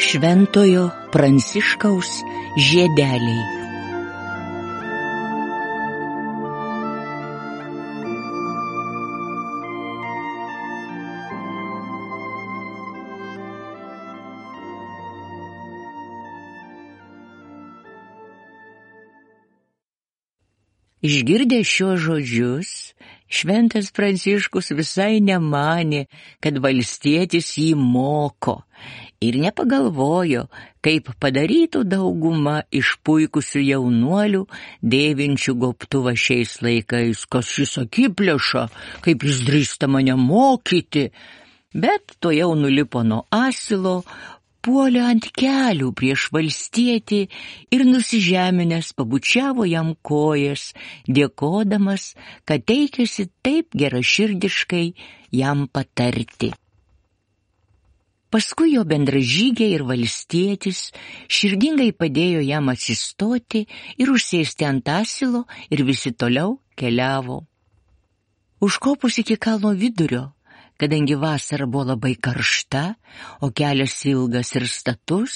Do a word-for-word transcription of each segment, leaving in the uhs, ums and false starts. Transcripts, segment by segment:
Šventojo Pranciškaus žiedeliai. Išgirdęs šiuos žodžius, šventas Pranciškus visai nemanė, kad valstietis jį moko, ir nepagalvojo, kaip padarytų dauguma išpuikusių jaunuolių, dėvinčių gobtuvą šiais laikais, kas šis akiplėša, kaip jis drįsta mane mokyti, bet tuojau nulipo nuo asilo, puolė ant kelių prieš valstietį ir nusižeminęs pabučiavo jam kojas, dėkodamas, kad teikėsi taip geraširdiškai jam patarti. Paskui jo bendražygiai ir valstietis širdingai padėjo jam atsistoti ir užsėsti ant asilo ir visi toliau keliavo. Užkopus iki kalno vidurio, kadangi vasara buvo labai karšta, o kelias ilgas ir status,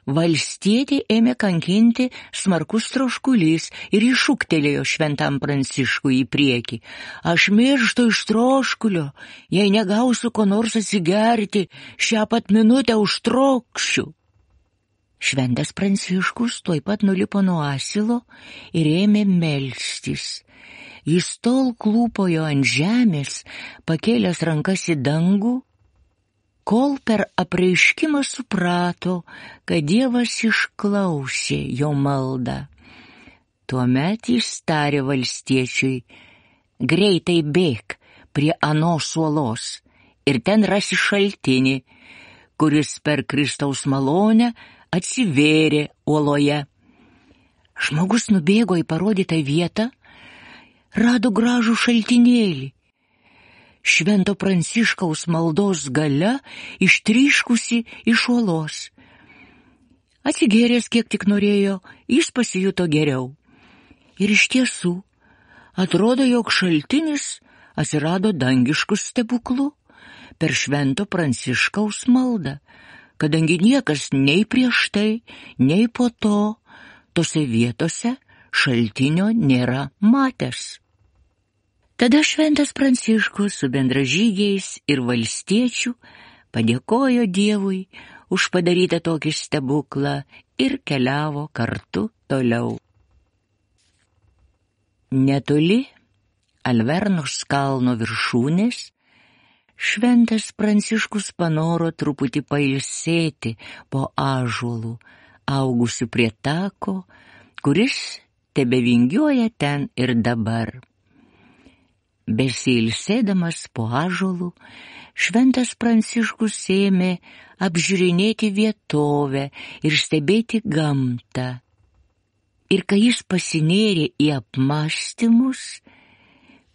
valstietį ėmė kankinti smarkus troškulys ir iššūktelėjo šventam Pranciškui į priekį. Aš mirštu iš troškulio, jei negausiu ko nors atsigerti, šią pat minutę užtrokšiu. Šventas Pranciškus tuoj pat nulipo nuo asilo ir ėmė melstis. Jis tol klūpojo ant žemės, pakėlęs rankas į dangų, kol per apreiškimą suprato, kad Dievas išklausė jo maldą. Tuomet jis tarė valstiečiui: greitai bėk prie anos uolos ir ten rasi šaltinį, kuris per Kristaus malonę atsivėrė uoloje. Žmogus nubėgo į parodytą vietą, rado gražų šaltinėlį. Švento Pranciškaus maldos galia ištryškusi iš uolos. Atsigėręs kiek tik norėjo, jis pasijuto geriau. Ir iš tiesų, atrodo, jog šaltinis atsirado dangišku stebuklu per Švento Pranciškaus maldą, kadangi niekas nei prieš tai, nei po to tose vietose šaltinio nėra matęs. Tada šventas Pranciškus su bendražygiais ir valstiečių padėkojo Dievui už padarytą tokį stebuklą ir keliavo kartu toliau. Netoli Alvernos kalno viršūnės šventas Pranciškus panoro truputį pailsėti po ąžuolų, augusių prie tako, kuris tebevingiuoja ten ir dabar. Besiilsėdamas po ąžuolų, šventas Pranciškus ėmė apžiūrinėti vietovę ir stebėti gamtą. Ir kai jis pasinėrė į apmąstymus,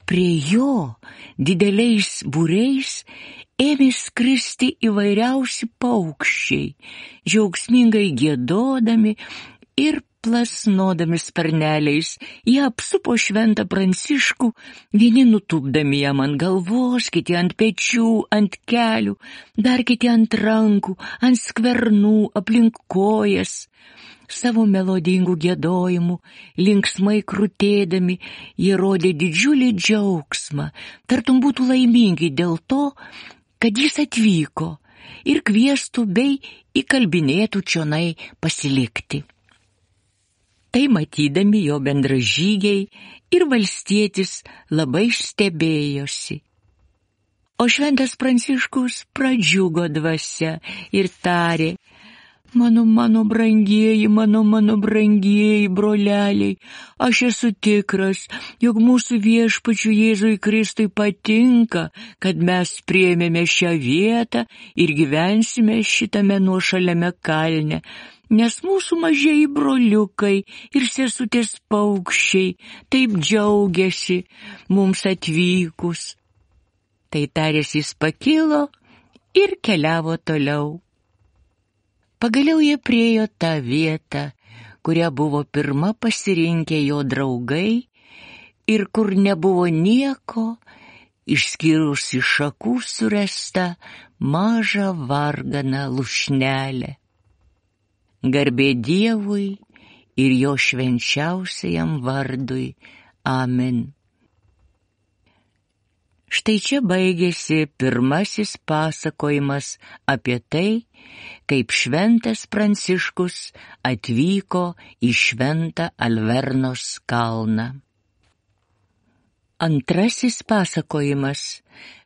prie jo dideliais būriais ėmė skristi įvairiausi paukščiai, džiaugsmingai giedodami ir plasnodami sparneliais. Jie apsupo šventą Pranciškų, vieni nutūpdami jam ant galvos, kiti ant pečių, ant kelių, dar kiti ant rankų, ant skvernų, aplink kojas. Savo melodingų giedojimų, linksmai krutėdami, jie rodė didžiulį džiaugsmą, tartum būtų laimingi dėl to, kad jis atvyko ir kviestų bei įkalbinėtų čionai pasilikti. Tai matydami jo bendražygiai ir valstietis labai stebėjosi. O šventas Pranciškus pradžiugo dvasia ir tarė: Mano, mano brangieji, mano, mano brangieji broleliai, aš esu tikras, jog mūsų viešpačiui Jėzui Kristui patinka, kad mes priėmėme šią vietą ir gyvensime šitame nuošaliame kalne, nes mūsų mažieji broliukai ir sesutės paukščiai taip džiaugiasi mums atvykus. Tai taręs jis pakilo ir keliavo toliau. Pagaliau jie priėjo tą vietą, kurią buvo pirma pasirinkę jo draugai ir kur nebuvo nieko, išskyrus iš šakų surestą mažą varganą lūšnelę. Garbė Dievui ir jo švenčiausiajam vardui. Amen. Štai čia baigėsi pirmasis pasakojimas apie tai, kaip šventas Pranciškus atvyko į šventą Alvernos kalną. Antrasis pasakojimas,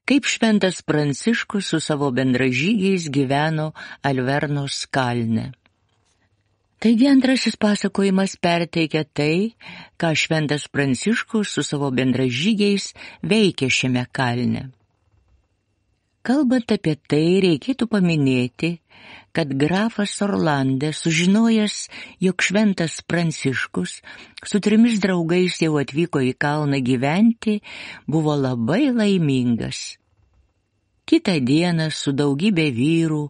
kaip šventas Pranciškus su savo bendražygiais gyveno Alvernos kalne. Taigi antrasis pasakojimas perteikia tai, ką šventas Pranciškus su savo bendražygiais veikė šiame kalne. Kalbant apie tai, reikėtų paminėti, kad grafas Orlande, sužinojęs, jog šventas Pranciškus su trimis draugais jau atvyko į kalną gyventi, buvo labai laimingas. Kitą dieną su daugybė vyrų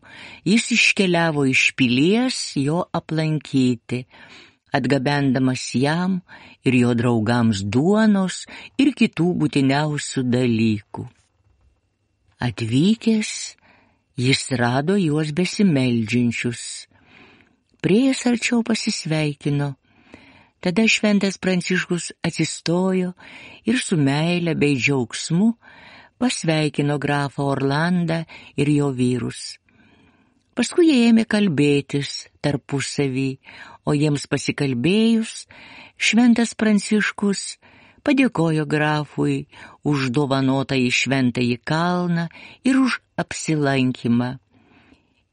jis iškeliavo iš pilies jo aplankyti, atgabendamas jam ir jo draugams duonos ir kitų būtiniausių dalykų. Atvykęs, jis rado juos besimeldžiančius. Priėjęs arčiau pasisveikino. Tada šventas Pranciškus atsistojo ir su meile bei džiaugsmu pasveikino grafą Orlandą ir jo vyrus. Paskui jie ėmė kalbėtis tarpusavy, o jiems pasikalbėjus, šventas Pranciškus padėkojo grafui už dovanotą į šventąjį kalną ir už apsilankymą.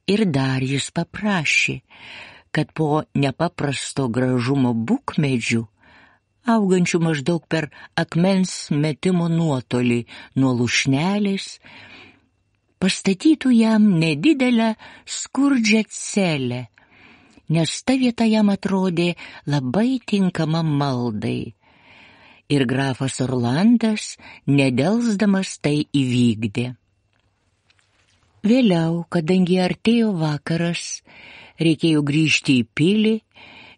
Ir dar jis paprašė, kad po nepaprasto gražumo bukmedžių, augančių maždaug per akmens metimo nuotolį nuo lūšnelės, pastatytų jam nedidelę skurdžią celę, nes ta vieta jam atrodė labai tinkama maldai. Ir grafas Orlandas, nedelsdamas, tai įvykdė. Vėliau, kadangi artėjo vakaras, reikėjo grįžti į pilį,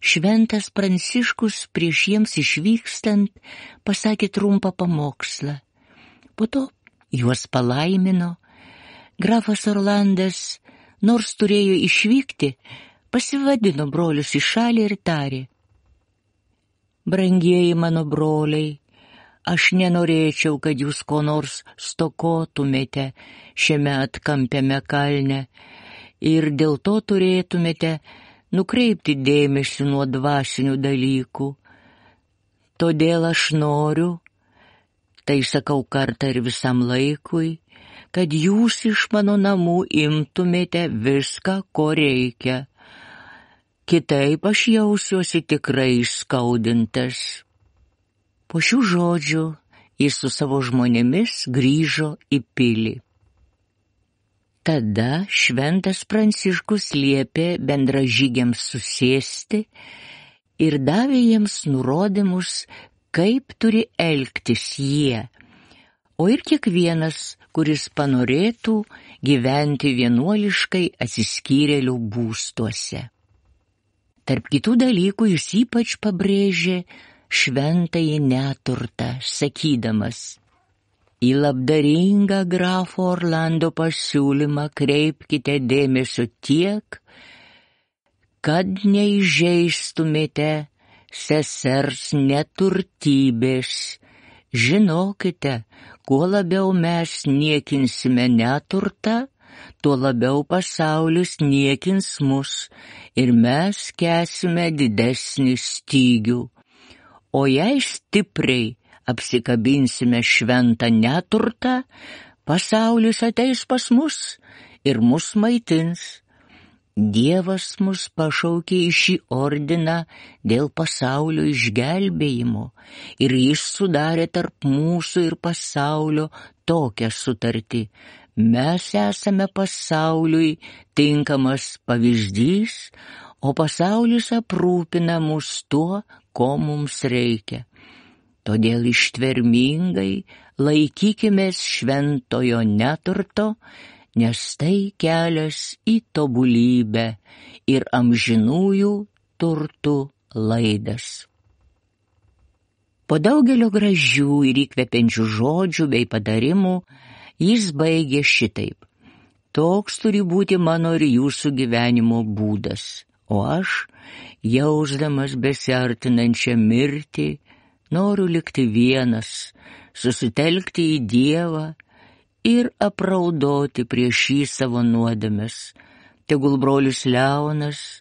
šventas Pranciškus prieš jiems išvykstant pasakė trumpą pamokslą. Po to juos palaimino. Grafas Orlandas, nors turėjo išvykti, pasivadino brolius į šalį ir tarė: Brangieji mano broliai, aš nenorėčiau, kad jūs ko nors stokotumėte šiame atkampiame kalne ir dėl to turėtumėte nukreipti dėmesį nuo dvasinių dalykų. Todėl aš noriu, tai sakau kartą ir visam laikui, kad jūs iš mano namų imtumėte viską, ko reikia. Kitaip aš jausiuosi tikrai skaudintas. Po šių žodžių jis su savo žmonėmis grįžo į pilį. Tada šventas Pranciškus liepė bendražygiams susėsti ir davė jiems nurodymus, kaip turi elgtis jie, o ir kiekvienas, kuris panorėtų gyventi vienuoliškai atsiskyrėlių būstuose. Tarp kitų dalykų jis ypač pabrėžė šventąjį neturtą, sakydamas: Į labdaringą grafo Orlando pasiūlymą kreipkite dėmesio tiek, kad neįžeistumėte sesers neturtybės. Žinokite, kuo labiau mes niekinsime neturtą, tuo labiau pasaulis niekins mus ir mes kęsime didesnį stygių. O jei stipriai apsikabinsime šventą neturtą, pasaulis ateis pas mus ir mus maitins. Dievas mus pašaukė į šį ordiną dėl pasaulio išgelbėjimo ir jis sudarė tarp mūsų ir pasaulio tokią sutartį. Mes esame pasauliui tinkamas pavyzdys, o pasaulis aprūpina mus tuo, ko mums reikia. Todėl ištvermingai laikykimės šventojo neturto, nes tai kelias į tobulybę ir amžinųjų turtų laidas. Po daugelio gražių ir įkvepiančių žodžių bei patarimų jis baigė šitaip. Toks turi būti mano ir jūsų gyvenimo būdas, o aš, jausdamas besiartinančią mirtį, noriu likti vienas, susitelkti į Dievą ir apraudoti prieš jį savo nuodėmes. Tegul brolis Leonas,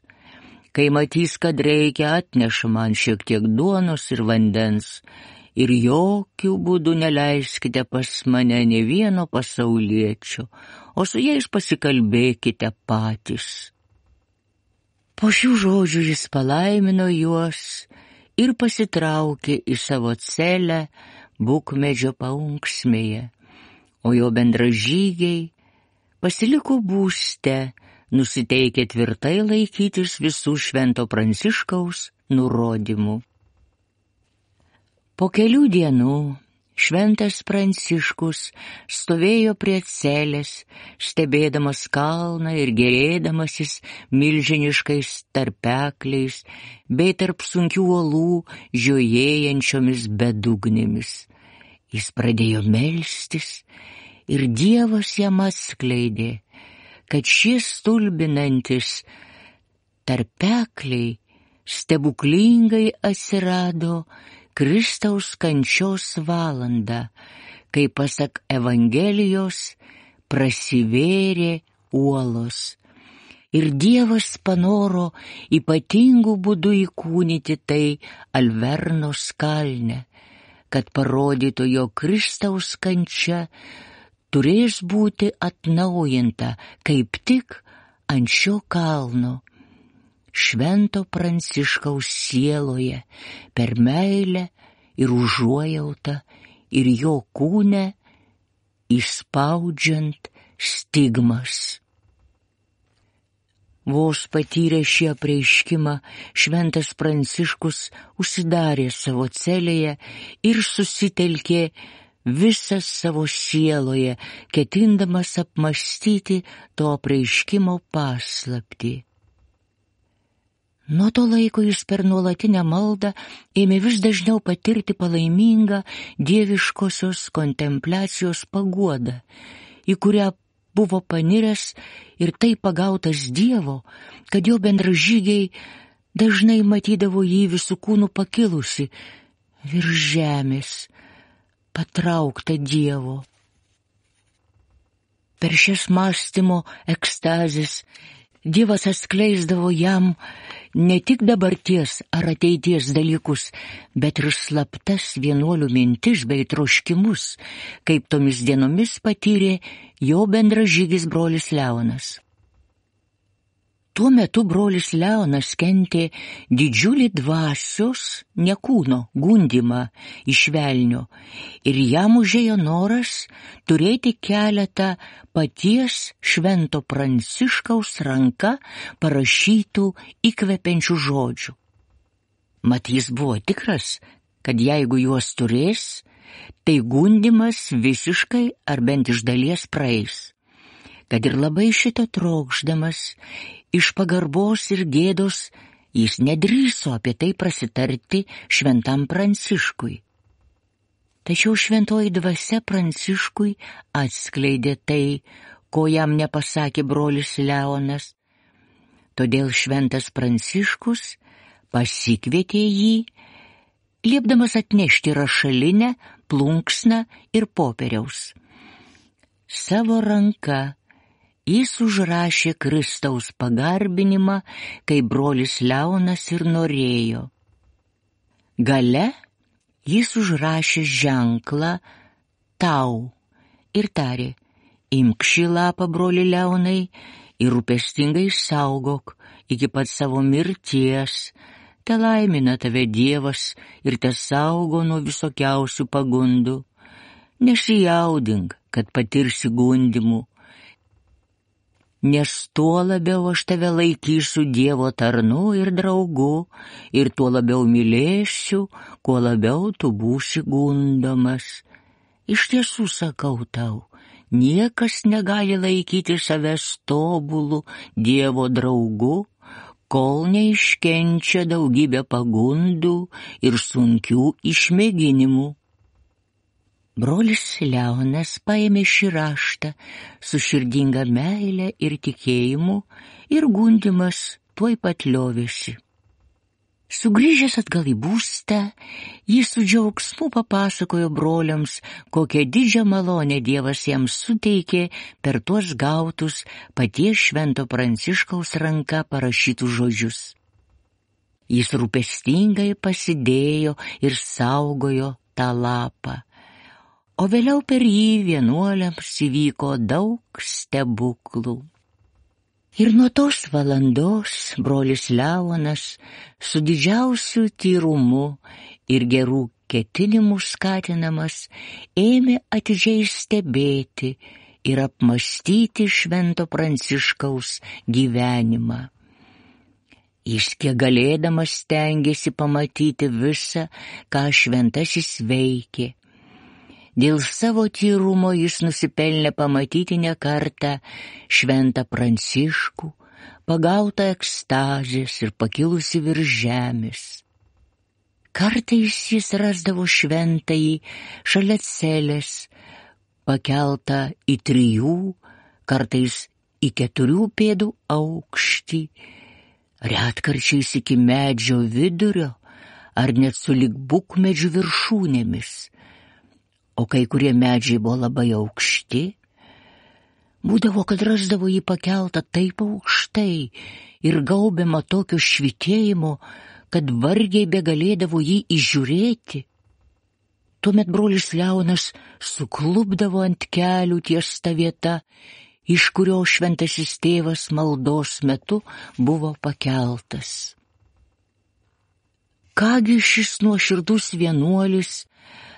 kai matys, kad reikia, atneša man šiek tiek duonos ir vandens, ir jokių būdų neleiskite pas mane ne vieno pasauliečio, o su jais pasikalbėkite patys. Po šių žodžių jis palaimino juos ir pasitraukė į savo celę bukmedžio paunksmėje, o jo bendražygiai pasiliko būste, nusiteikę tvirtai laikytis visų Švento Pranciškaus nurodymų. Po kelių dienų Šventas Pranciškus stovėjo prie celės, stebėdamas kalną ir gėrėdamasis milžiniškais tarpekliais bei tarp sunkių uolų žiojėjančiomis bedugnėmis. Jis pradėjo melstis ir Dievas jam atskleidė, kad šie stulbinantis tarpekliai stebuklingai atsirado Kristaus kančios valandą, kai pasak Evangelijos prasivėrė uolos. Ir Dievas panoro ypatingų būdų įkūnyti tai Alvernos kalne, kad parodytų, jog Kristaus kančia turės būti atnaujinta kaip tik ant šio kalno, Švento Pranciškaus sieloje, per meilę ir užuojautą ir jo kūne įspaudžiant stigmas. Vos patyrė šį apreiškimą, Šventas Pranciškus užsidarė savo celėje ir susitelkė visas savo sieloje, ketindamas apmąstyti to apreiškimo paslaptį. Nuo to laiko jis per nuolatinę maldą ėmė vis dažniau patirti palaimingą dieviškosios kontempliacijos paguodą, į kurią buvo paniręs ir taip pagautas Dievo, kad jo bendražygiai dažnai matydavo jį visų kūnų pakilusi virš žemės, patraukta Dievo. Per šias mąstymo ekstazes Dievas atskleisdavo jam ne tik dabarties ar ateities dalykus, bet ir slaptas vienuolių mintis bei troškimus, kaip tomis dienomis patyrė jo bendražygis brolis Leonas. Tuo metu brolis Leonas kentė didžiulį dvasios, ne kūno, gundymą iš velnio, ir jam užėjo noras turėti keletą paties Švento Pranciškaus ranka parašytų įkvepiančių žodžių. Mat jis buvo tikras, kad jeigu juos turės, tai gundymas visiškai ar bent iš dalies praeis. Kad ir labai šito trokšdamas, iš pagarbos ir gėdos jis nedrįso apie tai prasitarti Šventam Pranciškui. Tačiau šventoji dvasia Pranciškui atskleidė tai, ko jam nepasakė brolis Leonas. Todėl Šventas Pranciškus pasikvietė jį, liepdamas atnešti rašalinę, plunksną ir popieriaus. Savo ranka jis užrašė Kristaus pagarbinimą, kaip brolis Leonas ir norėjo. Gale jis užrašė ženklą tau ir tarė: imk šį lapą, broli Leonai, ir rūpestingai saugok iki pat savo mirties. Te laimina tave Dievas ir te saugo nuo visokiausių pagundų. Nesijaudink, kad patirsi gundymų, nes tuo labiau aš tave laikysiu Dievo tarnu ir draugu, ir tuo labiau mylėsiu, kuo labiau tu būsi gundomas. Iš tiesų sakau tau, niekas negali laikyti savęs tobulų Dievo draugu, kol neiškenčia daugybę pagundų ir sunkių išmėginimų. Brolis Leonas paėmė šį raštą su širdinga meile ir tikėjimu ir gundymas tuoj pat liovėsi. Sugrįžęs atgal į būstą, jis su džiaugsmu papasakojo broliams, kokią didžią malonę Dievas jiems suteikė per tuos gautus paties Švento Pranciškaus ranka parašytus žodžius. Jis rūpestingai pasidėjo ir saugojo tą lapą, o vėliau per jį vienuoliams įvyko daug stebuklų. Ir nuo tos valandos brolis Leonas su didžiausiu tyrumu ir gerų ketinimų skatinamas ėmė atidžiai stebėti ir apmąstyti Švento Pranciškaus gyvenimą. Jis kiek galėdamas stengėsi pamatyti visą, ką šventasis veikė. Dėl savo tyrumo jis nusipelnė pamatyti ne kartą Šventą Pranciškų, pagautą ekstazės ir pakilusi virš žemės. Kartais jis rasdavo šventąjį šalia celės, pakeltą į trijų, kartais į keturių pėdų aukštį, retkarčiais iki medžio vidurio ar net sulig bukmedžių viršūnėmis. O kai kurie medžiai buvo labai aukšti, būdavo, kad rasdavo jį pakeltą taip aukštai ir gaubiamą tokio švytėjimo, kad vargiai begalėdavo jį įžiūrėti. Tuomet brolis Leonas suklupdavo ant kelių ties ta vieta, iš kurio šventasis tėvas maldos metu buvo pakeltas. Kągi šis nuoširdus vienuolis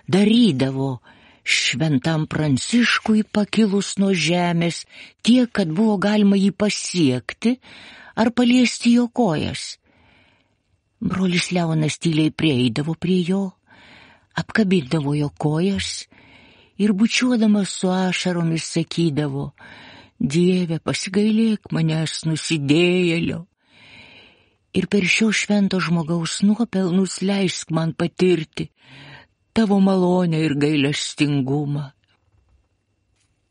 darydavo Šventam Pranciškui pakilus nuo žemės tiek, kad buvo galima jį pasiekti ar paliesti jo kojas. Brolis Leonas tyliai prieidavo prie jo, apkabindavo jo kojas ir bučiuodamas su ašaromis sakydavo: Dieve, pasigailėk manęs nusidėjėlio ir per šio švento žmogaus nuopelnus leisk man patirti tavo malonę ir gailestingumą.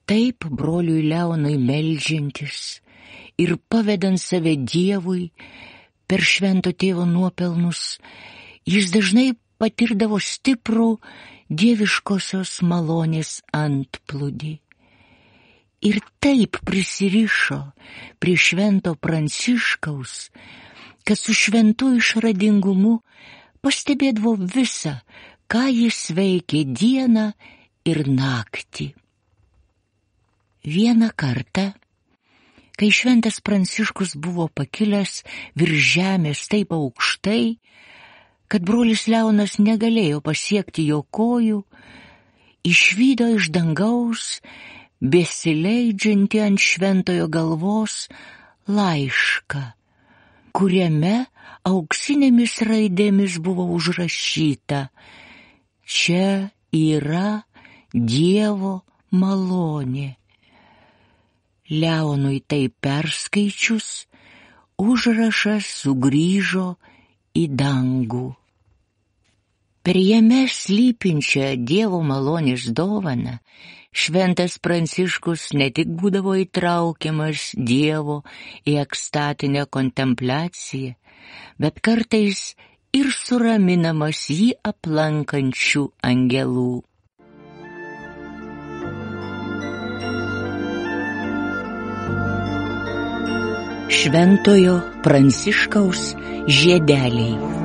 Taip broliui Leonui meldžiantis ir pavedant save Dievui per švento tėvo nuopelnus, jis dažnai patirdavo stiprų dieviškosios malonės antplūdį. Ir taip prisirišo prie Švento Pranciškaus, kad su šventu išradingumu pastebėdavo visą, ką jis veikė dieną ir naktį. Vieną kartą, kai Šventas Pranciškus buvo pakilęs virš žemės taip aukštai, kad brolis Leonas negalėjo pasiekti jo kojų, išvydo iš dangaus besileidžiantį ant šventojo galvos laišką, kuriame auksinėmis raidėmis buvo užrašyta: Čia yra Dievo malonė. Leonui tai perskaičius, užrašas sugrįžo į dangų. Per jame slypinčią Dievo malonės dovaną Šventas Pranciškus ne tik būdavo įtraukiamas Dievo į ekstatinę kontempliaciją, bet kartais ir suraminamas jį aplankančių angelų. Šventojo Pranciškaus žiedeliai.